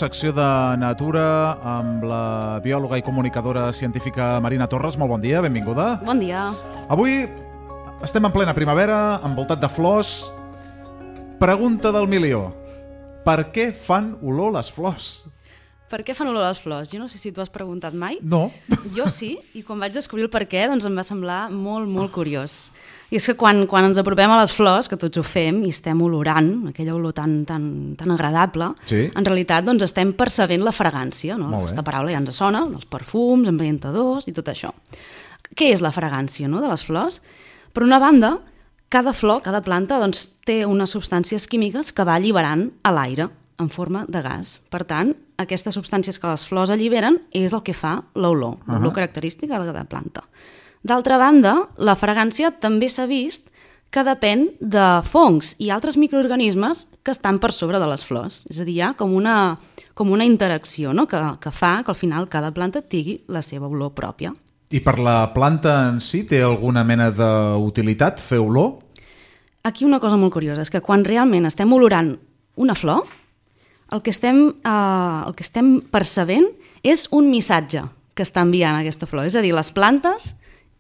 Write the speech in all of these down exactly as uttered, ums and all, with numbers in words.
secció de Natura, amb la biòloga i comunicadora científica Marina Torres. Molt bon dia, benvinguda. Bon dia. Avui estem en plena primavera, envoltat de flors. Pregunta del milió. Per què fan olor les flors? Per què fan olor les flors? Jo no sé si tu has preguntat mai. No. Jo sí, i quan vaig descobrir el per què, doncs em va semblar molt, molt curiós. I és que quan, quan ens apropem a les flors, que tots ho fem, i estem olorant, aquella olor tan, tan, tan agradable, sí. En realitat doncs, estem percebent la fragància, no? Aquesta paraula ja ens sona, els perfums, ambientadors i tot això. Què és la fragància, no?, de les flors? Per una banda, cada flor, cada planta, doncs, té unes substàncies químiques que va alliberant a l'aire en forma de gas. Per tant, aquestes substàncies que les flors alliberen és el que fa l'olor, uh-huh. l'olor característica de la planta. D'altra banda, la fragància també s'ha vist que depèn de fongs i altres microorganismes que estan per sobre de les flors. És a dir, hi ha com una, com una interacció, no?, que, que fa que al final cada planta tingui la seva olor pròpia. I per la planta en si té alguna mena d'utilitat fer olor? Aquí una cosa molt curiosa és que quan realment estem olorant una flor, el que estem, eh, el que estem percebent és un missatge que està enviant aquesta flor. És a dir, les plantes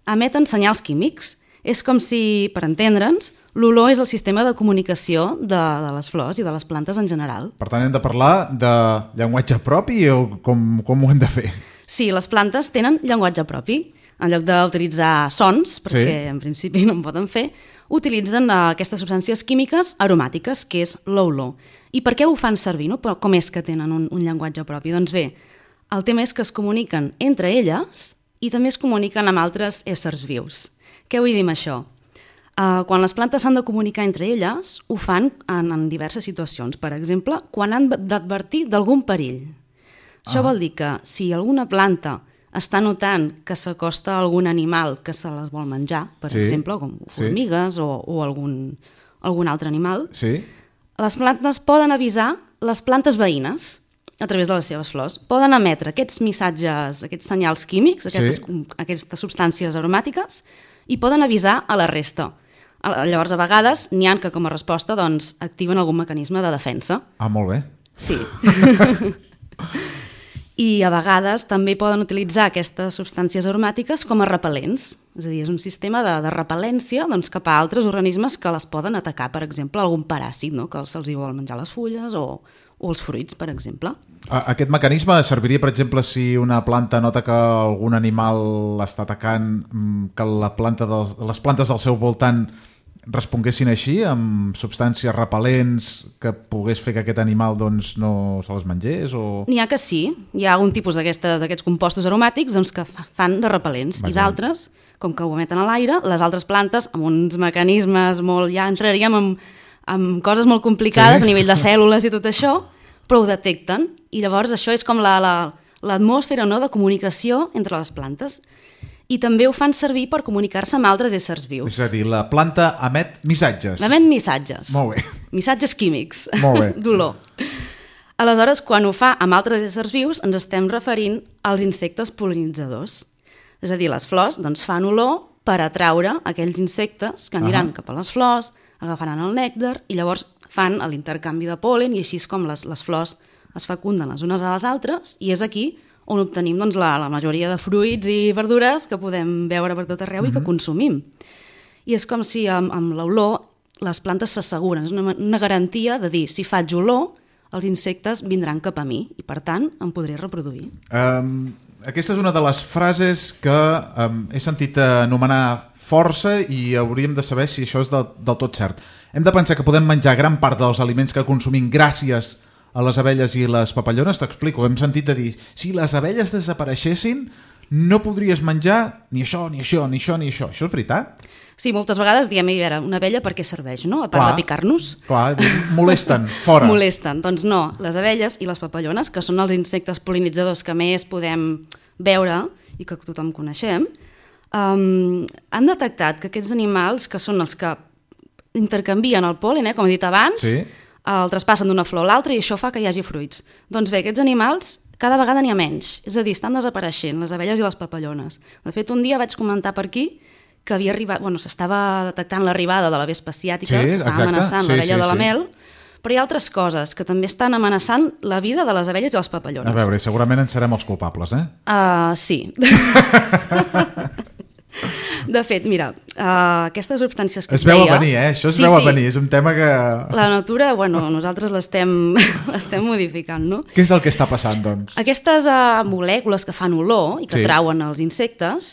emeten senyals químics. És com si, per entendre'ns, l'olor és el sistema de comunicació de, de les flors i de les plantes en general. Per tant, hem de parlar de llenguatge propi o com, com ho hem de fer? Sí, les plantes tenen llenguatge propi. En lloc d'utilitzar sons, perquè sí. en principi no en poden fer, utilitzen aquestes substàncies químiques aromàtiques, que és l'olor. I per què ho fan servir? No? Però com és que tenen un, un llenguatge propi? Doncs bé, el tema és que es comuniquen entre elles i també es comuniquen amb altres éssers vius. Què vull dir amb això? Uh, quan les plantes s'han de comunicar entre elles, ho fan en, en diverses situacions. Per exemple, quan han d'advertir d'algun perill. Això ah. vol dir que si alguna planta està notant que s'acosta a algun animal que se les vol menjar, per sí. exemple, com formigues sí. o, o algun, algun altre animal, sí. les plantes poden avisar les plantes veïnes a través de les seves flors. Poden emetre aquests missatges, aquests senyals químics, aquestes, sí. aquestes substàncies aromàtiques, i poden avisar a la resta. Llavors, a vegades, n'hi ha que com a resposta doncs, activen algun mecanisme de defensa. Ah, molt bé. Sí. I a vegades també poden utilitzar aquestes substàncies aromàtiques com a repel·lents. És a dir, és un sistema de, de repel·lència doncs, cap a altres organismes que les poden atacar, per exemple, algun paràsit, no?, que se'ls hi vol menjar les fulles o, o els fruits, per exemple. Aquest mecanisme serviria, per exemple, si una planta nota que algun animal l'està atacant, que la planta dels, les plantes del seu voltant responguessin així, amb substàncies repel·lents que pogués fer que aquest animal doncs, no se les mengés? O... N'hi ha que sí. Hi ha algun tipus d'aquests compostos aromàtics doncs, que fan de repel·lents. Vaja. I d'altres, com que ho emeten a l'aire, les altres plantes, amb uns mecanismes molt... Ja entraríem en, en coses molt complicades sí. a nivell de cèl·lules i tot això, però ho detecten. I llavors això és com la, la, l'atmosfera, no?, de comunicació entre les plantes. I també ho fan servir per comunicar-se amb altres éssers vius. És a dir, la planta emet missatges. Emet missatges. Molt bé. Missatges químics. Molt bé. D'olor. Aleshores, quan ho fa amb altres éssers vius, ens estem referint als insectes pol·linitzadors. És a dir, les flors doncs, fan olor per atraure aquells insectes que aniran uh-huh. cap a les flors, agafaran el nèctar i llavors fan l'intercanvi de pol·len i així és com les, les flors es fecunden les unes a les altres i és aquí on obtenim doncs, la, la majoria de fruits i verdures que podem veure per tot arreu mm-hmm. i que consumim. I és com si amb, amb l'olor les plantes s'asseguren, és una, una garantia de dir, si faig olor, els insectes vindran cap a mi i, per tant, em podré reproduir. Um, aquesta és una de les frases que um, he sentit anomenar força i hauríem de saber si això és del, del tot cert. Hem de pensar que podem menjar gran part dels aliments que consumim gràcies a les abelles i les papallones. T'explico, hem sentit a dir, si les abelles desapareixessin, no podries menjar ni això, ni això, ni això, ni això. Això és veritat? Sí, moltes vegades diem, a veure, una abella per què serveix, no? A part clar, de picar-nos. Clar, molesten, fora. Molesten, doncs no. Les abelles i les papallones, que són els insectes pol·linitzadors que més podem veure i que tothom coneixem, um, han detectat que aquests animals, que són els que intercanvien el pol·len, eh, com he dit abans, sí. el traspassen d'una flor a l'altra i això fa que hi hagi fruits. Doncs bé, aquests animals cada vegada n'hi ha menys, és a dir, estan desapareixent, les abelles i les papallones. De fet, un dia vaig comentar per aquí que havia arribat, bueno, s'estava detectant l'arribada de la vespa asiàtica, sí, que estava amenaçant sí, l'abella sí, de la mel, Però hi ha altres coses que també estan amenaçant la vida de les abelles i les papallones. A veure, segurament en serem els culpables, eh? Uh, sí. De fet, mira, uh, aquestes substàncies que es et veu deia... a venir, eh? Això es sí, veu sí. a venir, és un tema que... La natura, bueno, nosaltres l'estem l'estem modificant, no? Què és el que està passant, doncs? Aquestes uh, molècules que fan olor i que Sí. trauen els insectes,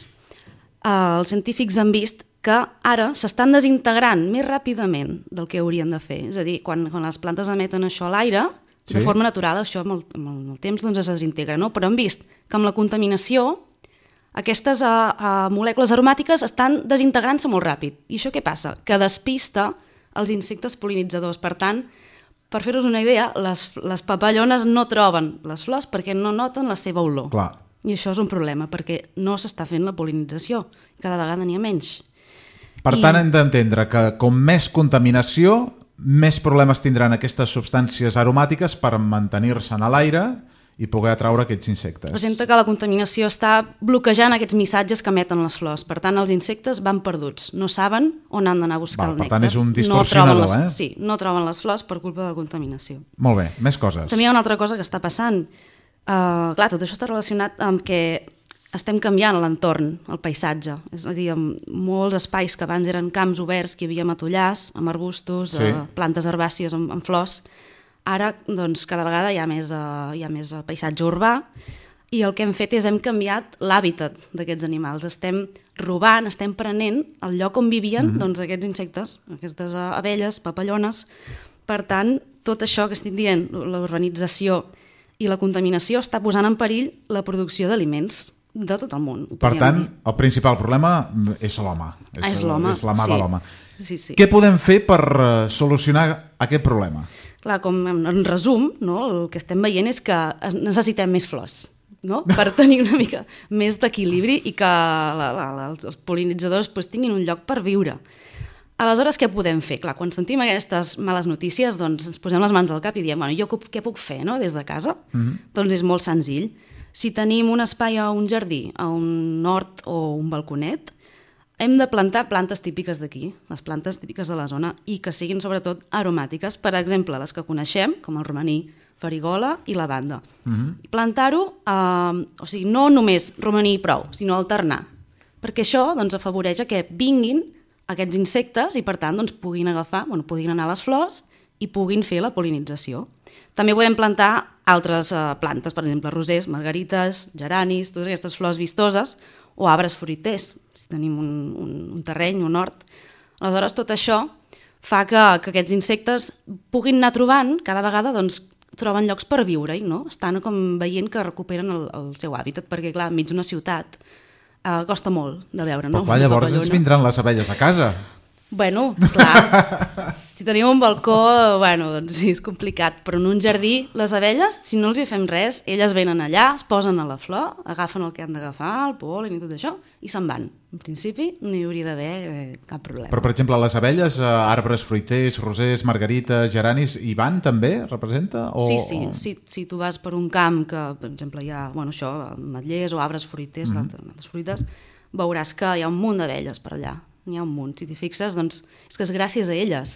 uh, els científics han vist que ara s'estan desintegrant més ràpidament del que haurien de fer. És a dir, quan, quan les plantes emeten això a l'aire, Sí. de forma natural, això amb el, amb el, amb el temps doncs, es desintegra, no? Però han vist que amb la contaminació aquestes uh, uh, molècules aromàtiques estan desintegrant-se molt ràpid. I això què passa? Que despista els insectes pol·linitzadors. Per tant, per fer-vos una idea, les, les papallones no troben les flors perquè no noten la seva olor. Clar. I això és un problema, perquè no s'està fent la pol·linització. Cada vegada n'hi ha menys. Per I- tant, hem d'entendre que com més contaminació, més problemes tindran aquestes substàncies aromàtiques per mantenir-se a l'aire i poder atraure aquests insectes. Presenta que la contaminació està bloquejant aquests missatges que emeten les flors. Per tant, els insectes van perduts. No saben on han d'anar a buscar Val, el per nèctar. tant, és un No distorsionador, troben les, eh? Sí, no troben les flors per culpa de la contaminació. Molt bé, més coses. També hi ha una altra cosa que està passant. Uh, clar, tot això està relacionat amb que estem canviant l'entorn, el paisatge. És a dir, amb molts espais que abans eren camps oberts, que hi havia matollars, amb arbustos, Sí. uh, plantes herbàcies amb, amb flors. Ara, doncs, cada vegada hi ha més, uh, hi ha més uh, paisatge urbà i el que hem fet és hem canviat l'hàbitat d'aquests animals. Estem robant, estem prenent el lloc on vivien mm-hmm. doncs, aquests insectes, aquestes uh, abelles, papallones. Per tant, tot això que estic dient, la urbanització i la contaminació està posant en perill la producció d'aliments de tot el món. Per tant, el principal problema és l'home. És l'home, És la mà sí. de l'home. Sí, sí. Què podem fer per uh, solucionar aquest problema? Clar, com en, en resum, no, el que estem veient és que necessitem més flors, no? Per tenir una mica més d'equilibri i que la, la, la, els pol·linitzadors pues, tinguin un lloc per viure. Aleshores, què podem fer? Clar, quan sentim aquestes males notícies, doncs ens posem les mans al cap i diem, bueno, jo què puc fer no, des de casa? Mm-hmm. Doncs és molt senzill. Si tenim un espai a un jardí, a un hort o un balconet, hem de plantar plantes típiques d'aquí, les plantes típiques de la zona, i que siguin sobretot aromàtiques. Per exemple, les que coneixem, com el romaní, farigola i lavanda. Mm-hmm. Plantar-ho, eh, o sigui, no només romaní i prou, sinó alternar, perquè això doncs, afavoreix que vinguin aquests insectes i, per tant, doncs, puguin agafar, bueno, puguin anar a les flors i puguin fer la pol·linització. També podem plantar altres eh, plantes, per exemple, rosers, margarites, geranis, totes aquestes flors vistoses, o arbres fruiters, si tenim un, un, un terreny, un hort. Aleshores, tot això fa que, que aquests insectes puguin anar trobant, cada vegada doncs, troben llocs per viure-hi, no? Estan com veient que recuperen el, el seu hàbitat, perquè, clar, enmig d'una ciutat eh, costa molt de veure, no? Però clar, llavors ens vindran les abelles a casa. Bueno, clar, si tenim un balcó, bueno, doncs sí, és complicat, però en un jardí, les abelles, si no els hi fem res, elles venen allà, es posen a la flor, agafen el que han d'agafar, el pol·len i tot això, i se'n van. En principi, no hi hauria d'haver eh, cap problema. Però, per exemple, les abelles, eh, arbres fruiters, rosers, margarites, geranis, hi van també? Representa? O, Sí, sí, o... si, si tu vas per un camp que, per exemple, hi ha, bueno, això, ametllers o arbres fruiters, mm-hmm. altres fruites, veuràs que hi ha un munt d'abelles per allà. N'hi ha un munt. Si t'hi fixes, doncs, és que és gràcies a elles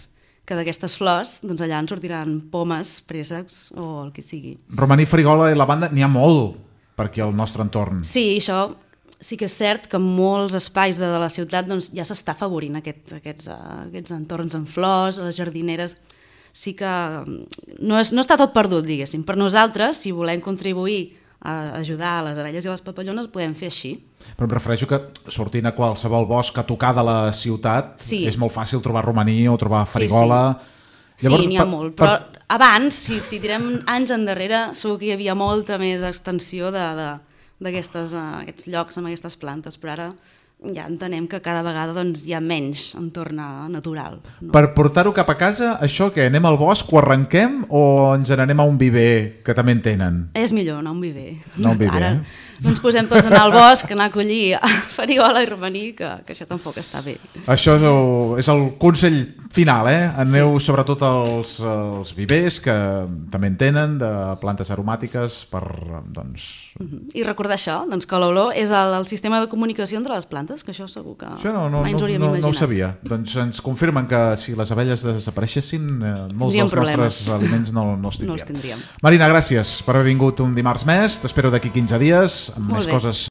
que d'aquestes flors, doncs allà en sortiran pomes, préssecs o el que sigui. Romaní, farigola i lavanda n'hi ha molt per aquí al nostre entorn. Sí, això sí que és cert que en molts espais de, de la ciutat doncs, ja s'està afavorint aquest, aquests, uh, aquests entorns amb flors, les jardineres. Sí que no, és, no està tot perdut, diguéssim. Per nosaltres, si volem contribuir a ajudar a les abelles i les papallones, podem fer així. Però em refereixo que sortint a qualsevol bosc a tocar de la ciutat Sí. és molt fàcil trobar romaní o trobar farigola. Sí, Llavors, sí n'hi ha per- molt, per- però abans, si, si tirem anys endarrere, segur que hi havia molta més extensió de, de, d'aquestes, uh, aquests llocs amb aquestes plantes, però ara ja entenem que cada vegada doncs, hi ha menys entorn natural. No? Per portar-ho cap a casa, això que anem al bosc, ho arrenquem o ens n'anem a un viver que també en tenen? És millor anar a un viver. Anar a un viver, Ara eh? no ens posem tots a anar al bosc, anar a collir farigola i romaní, que, que això tampoc està bé. Això és el, és el consell final, eh? Aneu sí. sobretot als, als vivers, que també en tenen, de plantes aromàtiques, per, doncs... I recordar això, doncs, que l'olor és el, el sistema de comunicació entre les plantes. plantes, que això segur que això no, no, mai ens no, hauríem no, imaginat. no ho sabia. Doncs ens confirmen que si les abelles desapareixessin, eh, molts Tindríem dels problemes. nostres aliments no, no els tindríem. No els tindríem. Marina, gràcies per haver vingut un dimarts més. T'espero d'aquí quinze dies amb Molt més bé. coses